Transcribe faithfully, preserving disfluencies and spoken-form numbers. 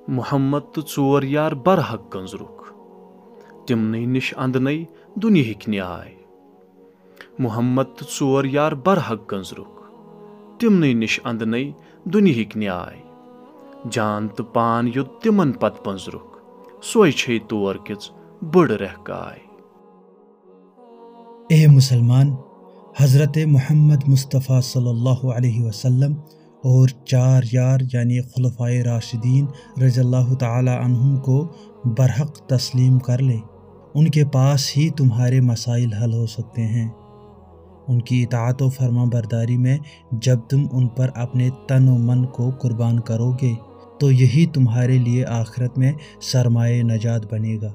محمد تہٕ ژور یار برحق گٔنزرُکھ، تِمنٕے نِش اندنے دُنیہٕکۍ نیاے۔ محمد تہٕ ژور یار برحق گٔنزرُکھ، تِمنٕے نِش اندنے دُنیہٕکۍ نیاے۔ جان تہٕ پان یوٚت تِمن پتہٕ پٔنزرُکھ، سۄے چھے تور کِژ بٔڑ رہکاے۔ اے مسلمان، حضرت محمد مصطفیٰ صلی اللہ علیہ وسلم اور چار یار یعنی خلفائے راشدین رضی اللہ تعالی عنہم کو برحق تسلیم کر لے۔ ان کے پاس ہی تمہارے مسائل حل ہو سکتے ہیں۔ ان کی اطاعت و فرما برداری میں جب تم ان پر اپنے تن و من کو قربان کرو گے تو یہی تمہارے لیے آخرت میں سرمایہ نجات بنے گا۔